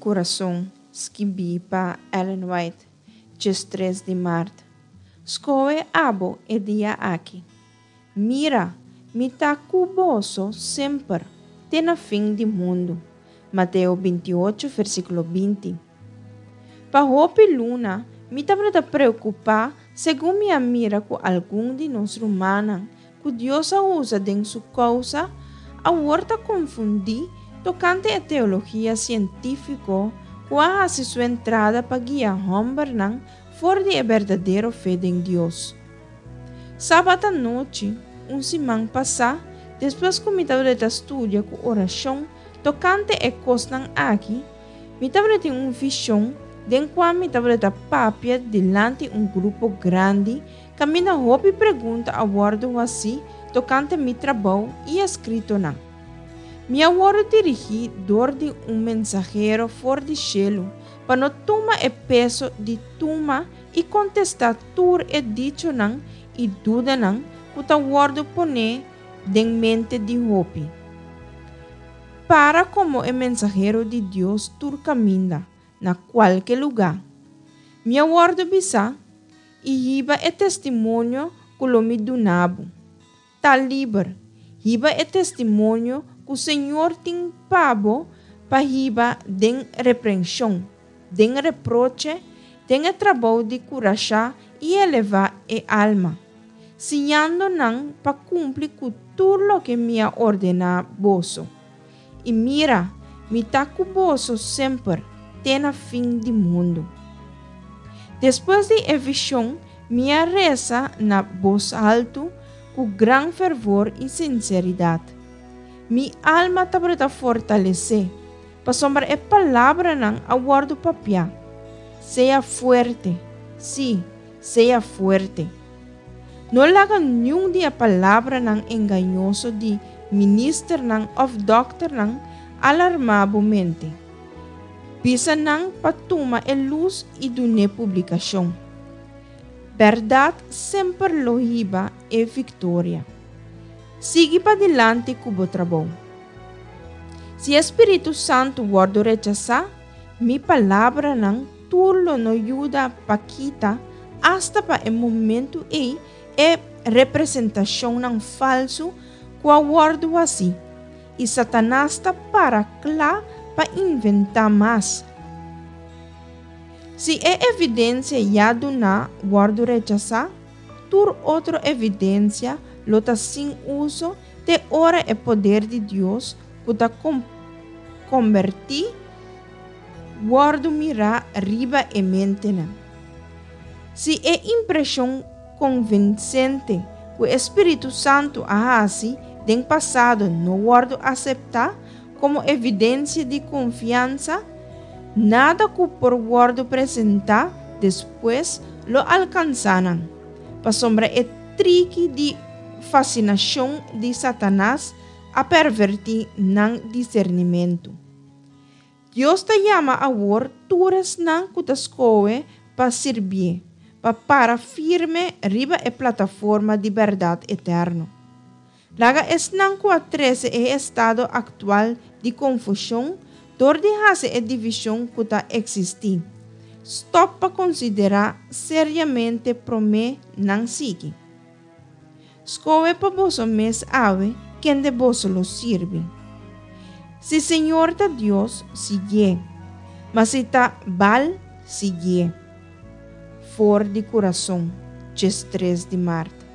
Kurason, skibí pa Ellen White, 13 di mart. Skohe abo e dia aki. Mira, mi ta ku boso semper, te na fin di mundu. Mateo 28, versíkulo 20. Pa hopi luna, mi tabata preokupá segun mi a mira ku algun di nos rumannan ku Dios a usa den su kousa, awor ta konfundí tokante e teologia sientífiko ku a hasi su entrada pa guia hòmbernan for di e berdadero fe den Dios. Sabat anochi, un siman pasá, despues ku mi tabata studia ku orashon tokante e kosnan aki, mi tabatin un vishon den kua mi tabata papia dilanti un grupo grandi kaminda hopi pregunta a wòrdu hasí tokante mi trabou i eskritonan. Mi a wòrdu dirigí dor di un mensahero for di shelu pa no tuma e peso di tuma i kontestá tur e dichonan i dudanan ku ta wòrdu poné den mente di hopi. Para komo e mensahero di Dios tur kaminda, na kualke lugá. Mi a wòrdu bisá, i hiba e testimonio ku lo mi duna bo. Ta liber, hiba e testimonio ku Señor tin pa bo pa hiba den reprenshon, den reproche, den e trabou di kurashá i elevá e alma, siñando nan pa kumpli ku tur loke mi a ordená boso. I mira, mi ta ku boso semper, te na fin di mundu. Despues di e vishon, mi a resa na bos haltu ku gran fervor i sinseridat. Mi alma tabata fortalesé, pasobra e palabranan a wòrdu papiá, Sea fuerte, sí, sea fuerte. No laga niun di e palabranan engañoso di ministernan òf dòkternan alarmá bo mente. Bisa nan pa tuma e lus i dun'é publikashon. Bèrdat semper lo hiba e viktoria. Sigui padilanti ku bo trabou. Si e spiritu santu wòrdu rechasá, mi palabranan tur lo no yuda pa kita, asta pa e momentu ei, e representashonnan falsu ku a wòrdu hasí, i Satanas ta para kla pa inventá mas. Si e evidensia ya duná wòrdu rechasá, tur otro evidensia lo ta sin uso te ora e poder di Dios ku ta kombertí wòrdu mirá riba e mentenan. Si e impreshon konvinsente ku e spiritu santu a hasi den pasado no wòrdu aseptá komo evidensia di konfiansa, nada ku por wòrdu presentá despues lo alkansá nan, pasobra e triki di fasinashon di Satanas a pervertí nan disernimentu. Dios ta yama awor tur esnan ku ta skohe pa sirbié, pa para firme riba e plataforma di bèrdat eterno. Laga esnan ku a trese e estado aktual di konfushon dor di hasi e divishon ku ta eksistí, stòp pa konsiderá seriamente promé nan sigui. Skohe pa boso mes awe kende boso lo sirbi. Si Señor ta Dios, siguié, ma si ta Baal, siguié. For di kurason, 13 di mart.